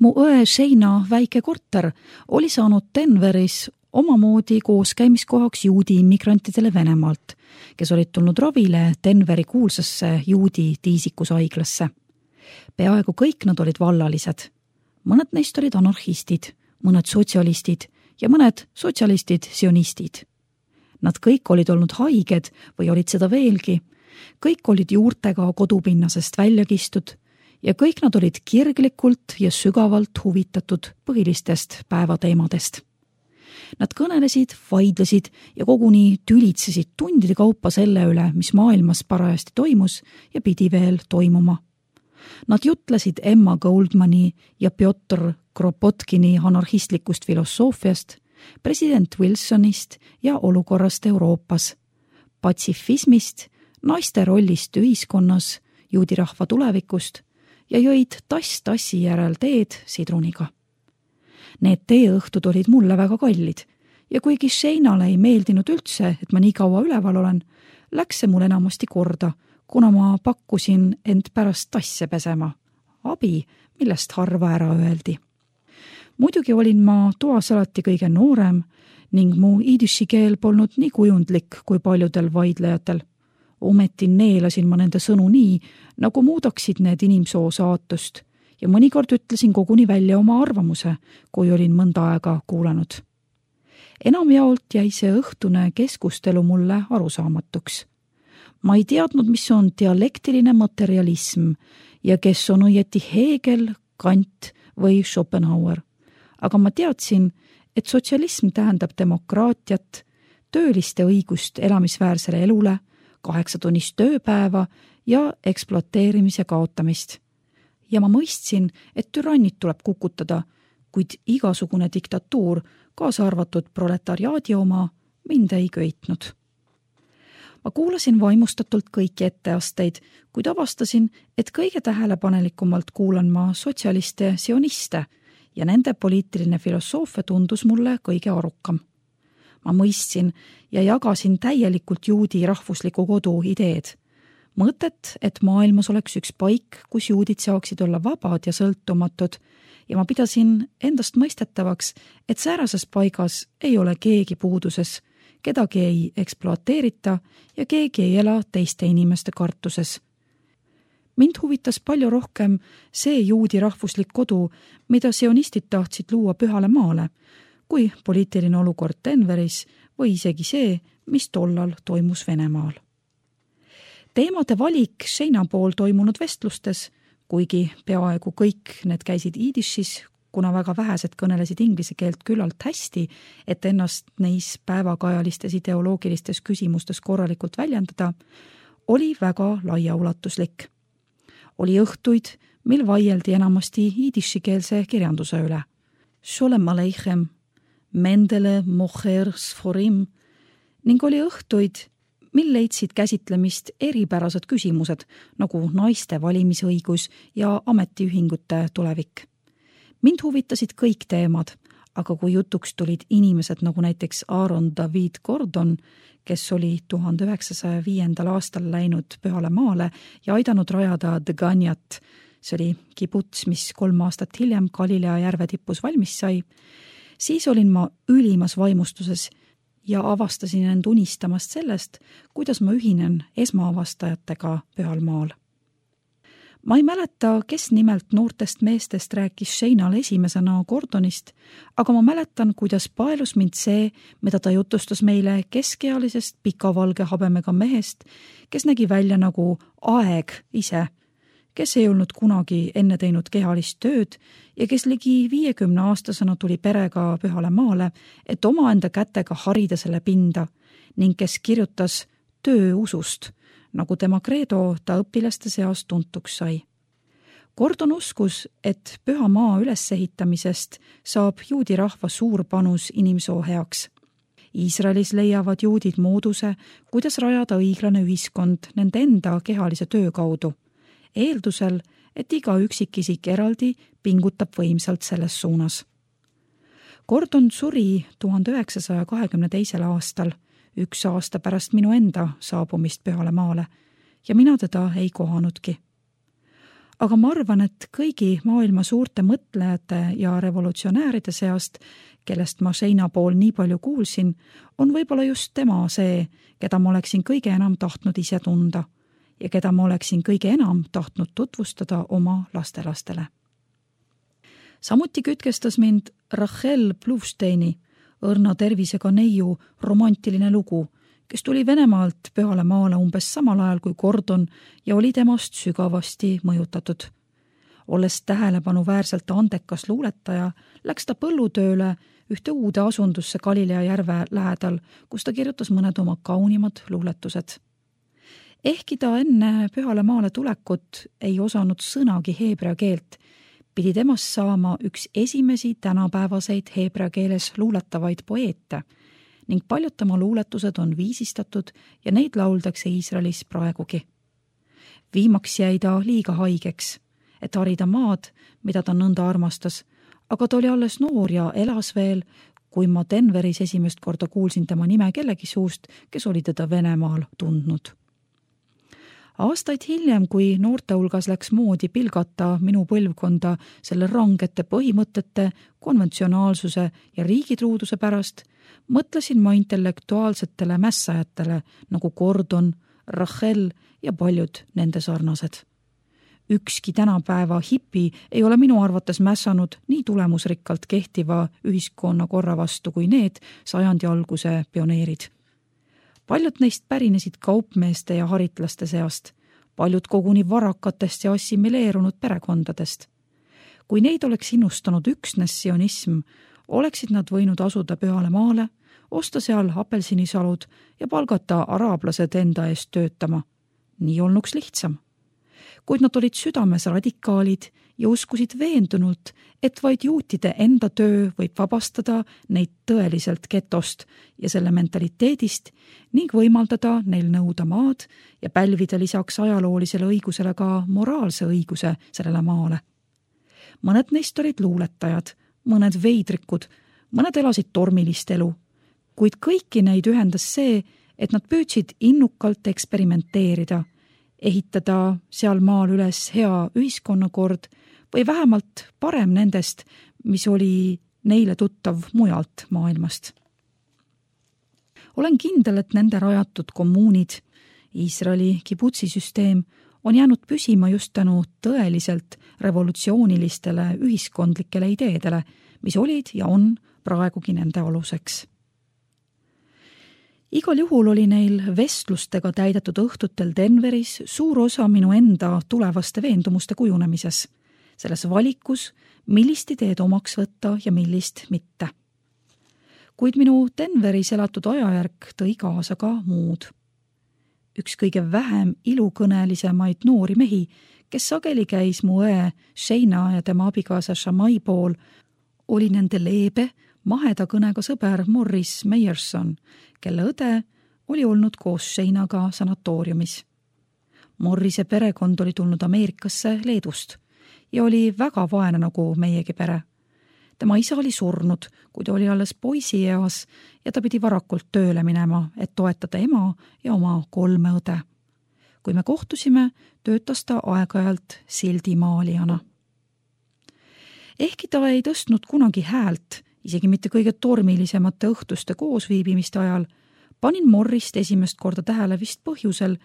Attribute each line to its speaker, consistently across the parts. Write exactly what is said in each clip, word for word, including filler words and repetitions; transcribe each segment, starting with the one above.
Speaker 1: Mu õe Sheina väike korter oli saanud Denveris omamoodi kooskäimiskohaks juudi immigrantidele Venemaalt, kes olid tulnud ravile Denveri kuulsasse juudi tiisikushaiglasse. Peaaegu kõik nad olid vallalised. Mõned neist olid anarhistid, mõned sotsialistid ja mõned sotsialistid sionistid. Nad kõik olid olnud haiged või olid seda veelgi. Kõik olid juurtega kodupinnasest välja kistud ja kõik nad olid kirglikult ja sügavalt huvitatud põhilistest päevateemadest. Nad kõnelesid, vaidlesid ja koguni tülitsesid tundide kaupa selle üle, mis maailmas parajasti toimus ja pidi veel toimuma. Nad jutlesid Emma Goldmani ja Piotr Kropotkini anarhistlikust filosoofiast, president Wilsonist ja olukorrast Euroopas, patsifismist, naiste rollist ühiskonnas, juudi rahva tulevikust ja jõid tass tassi järel teed sidruniga. Need teeõhtud olid mulle väga kallid ja kuigi Sheinale ei meeldinud üldse, et ma nii kaua üleval olen, läks see mul enamasti korda, kuna ma pakkusin end pärast tasse pesema. Abi, millest harva ära öeldi. Muidugi olin ma toas alati kõige noorem ning mu iidüši keel polnud nii kujundlik kui paljudel vaidlejatel. Ometi neelasin ma nende sõnu nii, nagu muudaksid need inimsoo saatust ja mõnikord ütlesin koguni välja oma arvamuse, kui olin mõnda aega kuulanud. Enamjaolt jäi see õhtune keskustelu mulle arusaamatuks. Ma ei teadnud, mis on dialektiline materialism ja kes on õieti Hegel, Kant või Schopenhauer. Aga ma teadsin, et sotsialism tähendab demokraatiat, tööliste õigust elamisväärsele elule, kaheksatunnist tööpäeva ja ekspluateerimise kaotamist. Ja ma mõistsin, et türannid tuleb kukutada, kuid igasugune diktatuur, kaasa arvatud proletariaadi oma, mind ei köitnud. Ma kuulasin vaimustatult kõiki etteasteid, kuid avastasin, et kõige tähelepanelikumalt kuulan ma sotsialiste sioniste ja nende poliitiline filosoofia tundus mulle kõige arukam. Ma mõistsin ja jagasin täielikult juudi rahvusliku kodu ideed. Mõtet, et maailmas oleks üks paik, kus juudid saaksid olla vabad ja sõltumatud ja ma pidasin endast mõistetavaks, et säärases paigas ei ole keegi puuduses, kedagi ei ekspluateerita ja keegi ei ela teiste inimeste kartuses. Mind huvitas palju rohkem see juudi rahvuslik kodu, mida sionistid tahtsid luua Pühale maale, kui poliitiline olukord Denveris või isegi see, mis tollal toimus Venemaal. Teemade valik Sheina pool toimunud vestlustes, kuigi peaaegu kõik need käisid iidishis, kuna väga vähesed kõnelesid inglise keelt küllalt hästi, et ennast neis päevakajalistes ideoloogilistes küsimustes korralikult väljendada, oli väga laiaulatuslik. Oli õhtuid, mil vaieldi enamasti iidishikeelse kirjanduse üle. Sholem Aleichem, Mendele, Mocher, Sforim ning oli õhtuid, mil leidsid käsitlemist eripärased küsimused, nagu naiste valimisõigus ja ametiühingute tulevik. Mind huvitasid kõik teemad, aga kui jutuks tulid inimesed nagu näiteks Aaron David Gordon, kes oli tuhande üheksasaja viiendal aastal läinud Pühale maale ja aidanud rajada Dganjat, see oli kibuts, mis kolm aastat hiljem Galilea järve tipus valmis sai, siis olin ma ülimas vaimustuses ja avastasin end unistamast sellest, kuidas ma ühinen esmaavastajatega Pühal maal. Ma ei mäleta, kes nimelt noortest meestest rääkis Sheinale esimesena Gordonist, aga ma mäletan, kuidas paelus mind see, mida ta jutustas meile keskealisest pikavalge habemega mehest, kes nägi välja nagu aeg ise, kes ei olnud kunagi enne teinud kehalist tööd ja kes ligi viiekümne aastasena tuli perega Pühale maale, et omaenda kätega harida selle pinda ning kes kirjutas tööusust, nagu tema kreedo ta õpilaste seas tuntuks sai. Gordon uskus, et Püha maa ülesehitamisest saab juudi rahva suur panus inimsoo heaks. Iisraelis leiavad juudid mooduse, kuidas rajada õiglane ühiskond nende enda kehalise töö kaudu, eeldusel, et iga üksikisik eraldi pingutab võimsalt selles suunas. Gordon suri tuhande üheksasaja kahekümne teisel aastal, üks aasta pärast minu enda saabumist Pühale maale ja mina teda ei kohanudki. aga ma arvan, et kõigi maailma suurte mõtlejate ja revolutsionääride seast, kellest ma seina pool nii palju kuulsin, on võib-olla just tema see, keda ma oleksin kõige enam tahtnud ise tunda ja keda ma oleksin kõige enam tahtnud tutvustada oma lastelastele. Samuti kütkestas mind Rachel Blufsteini, õrna tervisega neiu romantiline lugu, kes tuli Venemaalt Pühale maale umbes samal ajal kui Gordon ja oli temast sügavasti mõjutatud. Olles tähelepanuväärselt andekas luuletaja, läks ta põllutööle ühte uude asundusse Galilea järve lähedal, kus ta kirjutas mõned oma kaunimad luuletused. Ehkki ta enne Pühale maale tulekut ei osanud sõnagi heebrea keelt, pidi temast saama üks esimesi tänapäevaseid heebrea keeles luuletavaid poeete ning paljud tema luuletused on viisistatud ja neid lauldakse Iisraelis praegugi. Viimaks jäi ta liiga haigeks, et harida maad, mida ta nõnda armastas, aga ta oli alles noor ja elas veel, kui ma Denveris esimest korda kuulsin tema nime kellegi suust, kes oli teda Venemaal tundnud. Aastaid hiljem, kui noorte hulgas läks moodi pilgata minu põlvkonda selle rangete põhimõtete, konventsionaalsuse ja riigitruuduse pärast, mõtlesin ma intellektuaalsetele mässajatele nagu Gordon, Rachel ja paljud nende sarnased. Ükski tänapäeva hipi ei ole minu arvates mässanud nii tulemusrikkalt kehtiva ühiskonna korra vastu kui need sajandi alguse pioneerid. Paljud neist pärinesid kaupmeeste ja haritlaste seast, paljud koguni varakatest ja assimileerunud perekondadest. Kui neid oleks innustanud üksnes sionism, oleksid nad võinud asuda Pühale maale, osta seal apelsinisalud ja palgata araablased enda eest töötama. Nii olnuks lihtsam. Kuid nad olid südames radikaalid ja uskusid veendunult, et vaid juutide enda töö võib vabastada neid tõeliselt getost ja selle mentaliteedist ning võimaldada neil nõuda maad ja pälvida lisaks ajaloolisele õigusele ka moraalse õiguse sellele maale. Mõned neist olid luuletajad, mõned veidrikud, mõned elasid tormilist elu, kuid kõiki neid ühendas see, et nad püüdsid innukalt eksperimenteerida, ehitada seal maal üles hea ühiskonnakord või vähemalt parem nendest, mis oli neile tuttav mujalt maailmast. Olen kindel, et nende rajatud kommuunid, Iisraeli kibutsisüsteem, on jäänud püsima just tänu tõeliselt revolutsioonilistele ühiskondlikele ideedele, mis olid ja on praegugi nende aluseks. Igal juhul oli neil vestlustega täidetud õhtutel Denveris suur osa minu enda tulevaste veendumuste kujunemises, selles valikus, millist ideed omaks võtta ja millist mitte. Kuid minu Denveris elatud ajajärk tõi kaasa ka muud. Üks kõige vähem ilukõnelisemaid noori mehi, kes sageli käis mu õe Sheina ja tema abikaasa Shamai pool, oli nende leebe, maheda kõnega sõber Morris Meyerson, kelle õde oli olnud koos Sheinaga sanatooriumis. Morrise perekond oli tulnud Ameerikasse Leedust ja oli väga vaene nagu meiegi pere. Tema isa oli surnud, kui ta oli alles poisieas ja ta pidi varakult tööle minema, et toetada ema ja oma kolme õde. Kui me kohtusime, töötas ta aeg-ajalt sildimaalijana. Ehkki ta ei tõstnud kunagi häält, isegi mitte kõige tormilisemate õhtuste koosviibimiste ajal, panin Morrist esimest korda tähele vist põhjusel,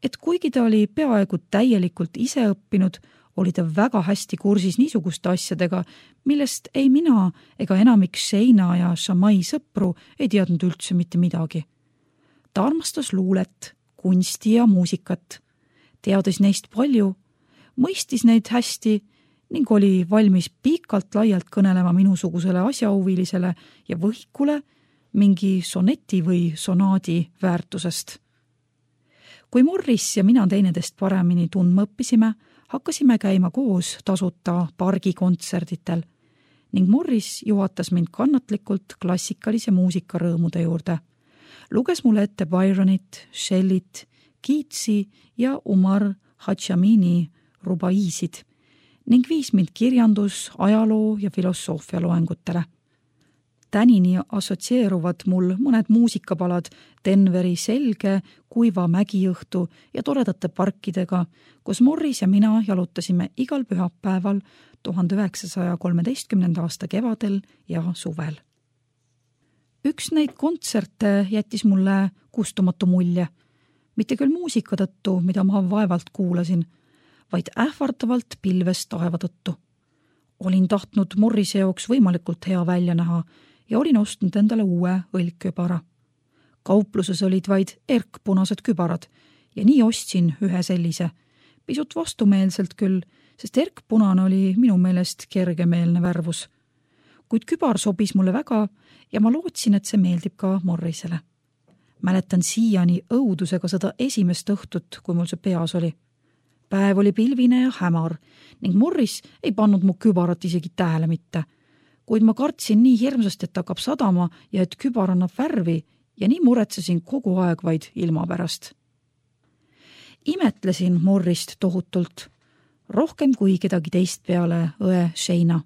Speaker 1: et kuigi ta oli peaaegu täielikult ise õppinud, oli ta väga hästi kursis niisuguste asjadega, millest ei mina ega enamik Sheina ja Shamai sõpru ei teadnud üldse mitte midagi. Ta armastas luulet, kunsti ja muusikat, teadis neist palju, mõistis neid hästi ning oli valmis pikalt laialt kõnelema minusugusele asjahuvilisele ja võhikule mingi soneti või sonaadi väärtusest. Kui Morris ja mina teinedest paremini tundma õppisime, hakkasime käima koos tasuta pargikontserditel ning Morris juhatas mind kannatlikult klassikalise muusika rõõmude juurde. Luges mulle ette Byronit, Shellit, Keatsi ja Umar Hadžamini rubaiisid ning viis mind kirjandus, ajaloo ja filosoofia loengutele. Tänini assotsieeruvad mul mõned muusikapalad Denveri selge, kuiva mägiõhtu ja toredate parkidega, kus Morris ja mina jalutasime igal pühapäeval tuhande üheksasaja kolmeteistkümnenda aasta kevadel ja suvel. Üks neid kontserte jättis mulle kustumatu mulje, mitte küll muusika tõttu, mida ma vaevalt kuulasin, vaid ähvardavalt pilves taeva tõttu. Olin tahtnud Morrise jaoks võimalikult hea välja näha ja olin ostnud endale uue õlgkübara. Kaupluses olid vaid erkpunased kübarad ja nii ostsin ühe sellise, pisut vastumeelselt küll, sest erkpunane oli minu meelest kergemeelne värvus. Kuid kübar sobis mulle väga ja ma lootsin, et see meeldib ka Morrisele. Mäletan siiani õudusega seda esimest õhtut, kui mul see peas oli. Päev oli pilvine ja hämar ning Morris ei pannud mu kübarat isegi tähele mitte, kuid ma kartsin nii hirmsasti, et hakkab sadama ja et kübar annab värvi ja nii muretsesin kogu aeg vaid ilma pärast. Imetlesin Morrist tohutult, rohkem kui kedagi teist peale õe Shayna.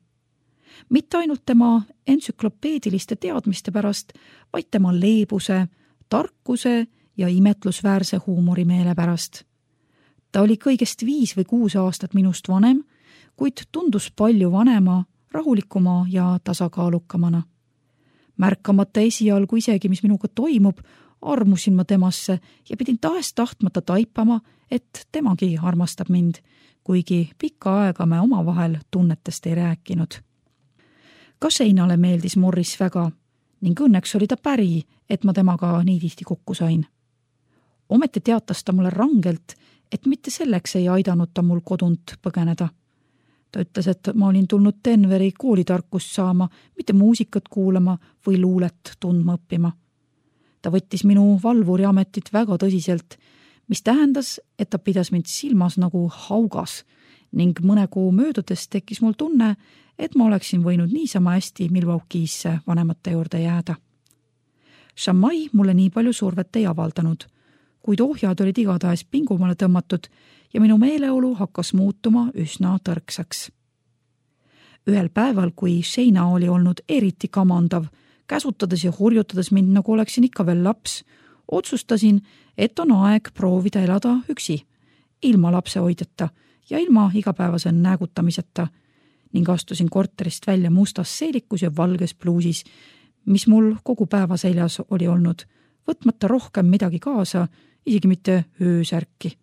Speaker 1: Mitte ainult tema entsüklopeediliste teadmiste pärast, vaid tema leebuse, tarkuse ja imetlusväärse huumorimeele pärast. Ta oli kõigest viis või kuus aastat minust vanem, kuid tundus palju vanema, rahulikuma ja tasakaalukamana. Märkamata esialgu isegi, mis minuga toimub, armusin ma temasse ja pidin tahes tahtmata taipama, et temagi armastab mind, kuigi pikka aega me omavahel tunnetest ei rääkinud. Ka Shaynale meeldis Morris väga ning õnneks oli ta päri, et ma temaga nii tihti kokku sain. Ometi teatas ta mulle rangelt, et mitte selleks ei aidanud ta mul kodunt põgeneda. Ta ütles, et ma olin tulnud Denveri koolitarkust saama, mitte muusikat kuulama või luulet tundma õppima. Ta võttis minu valvuri ametit väga tõsiselt, mis tähendas, et ta pidas mind silmas nagu haugas ning mõne kuu möödudes tekkis mul tunne, et ma oleksin võinud niisama hästi Milwaukee'sse vanemate juurde jääda. Shammai mulle nii palju survet ei avaldanud, kuid ohjad olid igatahes pingumale tõmmatud ja minu meeleolu hakkas muutuma üsna tõrksaks. Ühel päeval, kui Shayna oli olnud eriti kamandav, käsutades ja hurjutades mind, nagu oleksin ikka veel laps, otsustasin, et on aeg proovida elada üksi, ilma lapsehoidjata ja ilma igapäevase näägutamiseta ning astusin korterist välja mustas seelikus ja valges pluusis, mis mul kogu päeva seljas oli olnud, võtmata rohkem midagi kaasa, isegi mitte öösärki.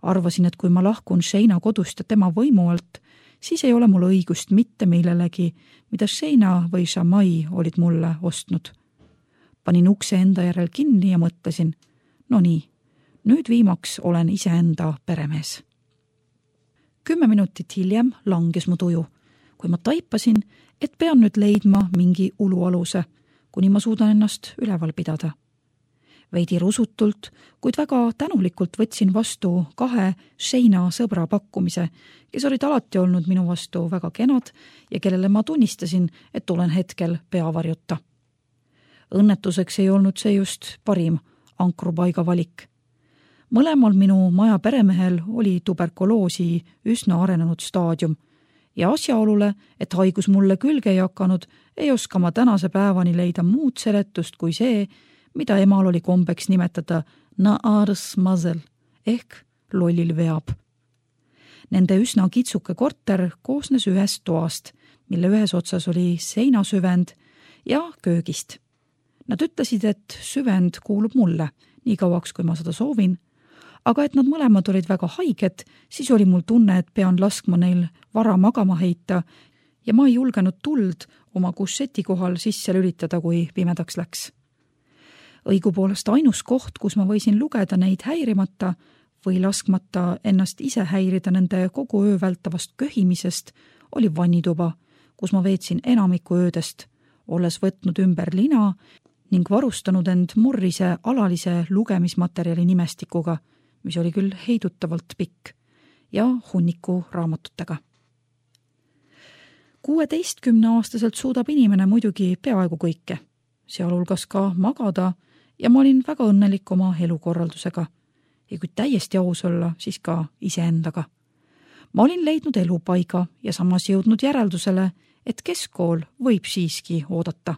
Speaker 1: Arvasin, et kui ma lahkun Shayna kodust ja tema võimu alt, siis ei ole mul õigust mitte millelegi, mida Shayna või Shammai olid mulle ostnud. Panin ukse enda järel kinni ja mõtlesin, no nii, nüüd viimaks olen iseenda peremees. Kümme minutit hiljem langes mu tuju, kui ma taipasin, et pean nüüd leidma mingi ulualuse, kuni ma suudan ennast üleval pidada. Veidi rusutult, kuid väga tänulikult võtsin vastu kahe Shayna sõbra pakkumise, kes olid alati olnud minu vastu väga kenad ja kellele ma tunnistasin, et olen hetkel peavarjuta. Õnnetuseks ei olnud see just parim ankrupaiga valik. Mõlemal minu maja peremehel oli tuberkuloosi üsna arenenud staadium ja asjaolule, et haigus mulle külge ei hakanud, ei oska ma tänase päevani leida muud seletust kui see, mida emal oli kombeks nimetada na'ars mazel ehk lollil veab. Nende üsna kitsuke korter koosnes ühest toast, mille ühes otsas oli seinasüvend ja köögist. Nad ütlesid, et süvend kuulub mulle, nii kauaks kui ma seda soovin, aga et nad mõlemad olid väga haiged, siis oli mul tunne, et pean laskma neil vara magama heita ja ma ei julgenud tuld oma kusseti kohal sisse lülitada, kui pimedaks läks. Õigupoolest ainus koht, kus ma võisin lugeda neid häirimata või laskmata ennast ise häirida nende kogu öö vältavast köhimisest, oli vannituba, kus ma veetsin enamiku öödest, olles võtnud ümber lina ning varustanud end Morrise alalise lugemismaterjali nimestikuga, mis oli küll heidutavalt pikk, ja hunniku raamatutega. kuueteistkümneaastaselt suudab inimene muidugi peaaegu kõike, sealhulgas ka magada, ja ma olin väga õnnelik oma elukorraldusega ja kui täiesti aus olla, siis ka iseendaga. ma olin leidnud elupaiga ja samas jõudnud järeldusele, et keskkool võib siiski oodata.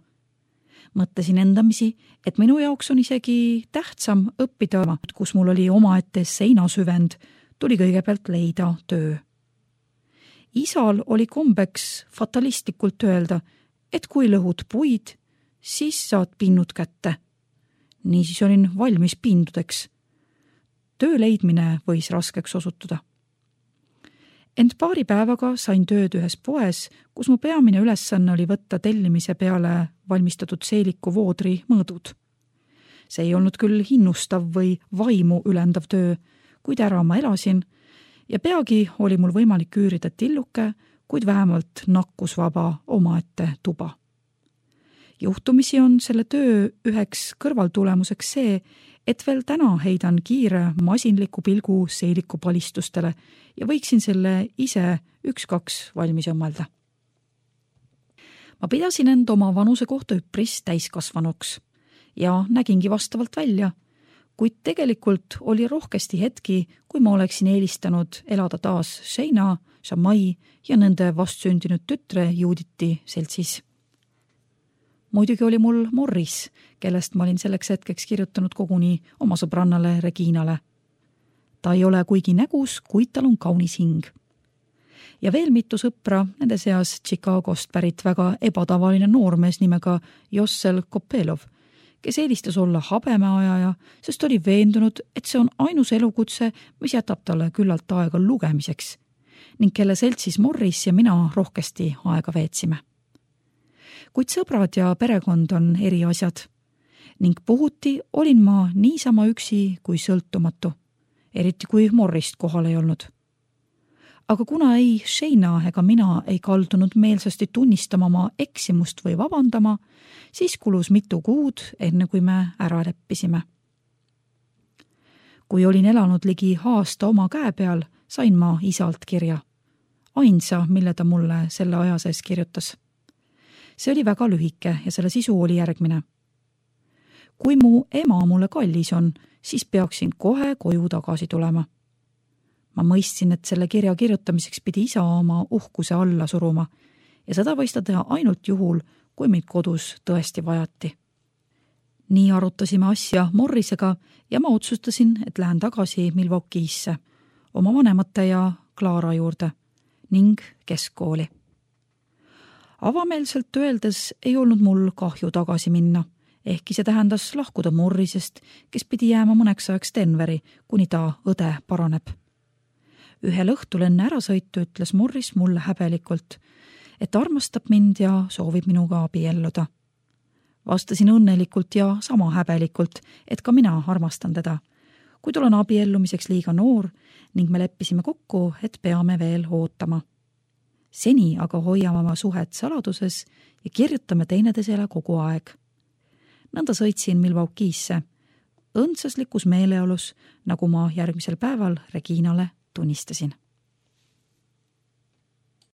Speaker 1: Mõtlesin endamisi, et minu jaoks on isegi tähtsam õppida, kus mul oli omaette seinasüvend, tuli kõigepealt leida töö. Isal oli kombeks fatalistlikult öelda, et kui lõhud puid, siis saad pinnud kätte. Niisiis olin valmis pindudeks. Töö leidmine võis raskeks osutuda. Ent paari päevaga sain tööd ühes poes, kus mu peamine ülesanne oli võtta tellimise peale valmistatud seeliku voodri mõõdud. See ei olnud küll hinnustav või vaimu ülendav töö, kuid ära ma elasin ja peagi oli mul võimalik üürida tilluke, kuid vähemalt nakkusvaba omaette tuba. Juhtumisi on selle töö üheks kõrvaltulemuseks see, et veel täna heidan kiire masinliku pilgu seeliku palistustele ja võiksin selle ise üks-kaks valmis õmmelda. Ma pidasin end oma vanuse kohta üpris täiskasvanuks ja nägingi vastavalt välja, kuid tegelikult oli rohkesti hetki, kui ma oleksin eelistanud elada taas Sheina, Shamai ja nende vastsündinud tütre Juditi seltsis. Muidugi oli mul Morris, kellest ma olin selleks hetkeks kirjutanud koguni oma sõbrannale Reginale. Ta ei ole kuigi nägus, kuid tal on kaunis hing. Ja veel mitu sõpra, nende seas Chicagost pärit väga ebatavaline noormees nimega Jossel Kopelov, kes eelistas olla habemeajaja, sest oli veendunud, et see on ainus elukutse, mis jätab talle küllalt aega lugemiseks ning kelle seltsis Morris ja mina rohkesti aega veetsime. Kuid sõbrad ja perekond on eri asjad ning puhuti olin ma niisama üksi kui sõltumatu, eriti kui Morrist kohal ei olnud. Aga kuna ei Sheina ega mina ei kaldunud meelsasti tunnistama oma eksimust või vabandama, siis kulus mitu kuud, enne kui me ära leppisime. Kui olin elanud ligi aasta oma käe peal, sain ma isalt kirja. Ainsa, mille ta mulle selle aja sees kirjutas. See oli väga lühike ja selle sisu oli järgmine. Kui mu ema mulle kallis on, siis peaksin kohe koju tagasi tulema. Ma mõistsin, et selle kirja kirjutamiseks pidi isa oma uhkuse alla suruma ja seda võis ta teha ainult juhul, kui meid kodus tõesti vajati. Nii arutasime asja Morrisega ja ma otsustasin, et lähen tagasi Milwaukee'sse, oma vanemate ja Clara juurde ning keskkooli. Avameelselt öeldes ei olnud mul kahju tagasi minna, ehkki see tähendas lahkuda Morrisest, kes pidi jääma mõneks ajaks Denveri, kuni ta õde paraneb. Ühel õhtul enne ärasõitu ütles Morris mulle häbelikult, et armastab mind ja soovib minuga abielluda. Vastasin õnnelikult ja sama häbelikult, et ka mina armastan teda, kuid olen abiellumiseks liiga noor ning me leppisime kokku, et peame veel ootama. Seni aga hoiame oma suhet saladuses ja kirjutame teineteisele kogu aeg. Nõnda sõitsin Milwaukee'sse, õndsaslikus meeleolus, nagu ma järgmisel päeval Reginale tunnistasin.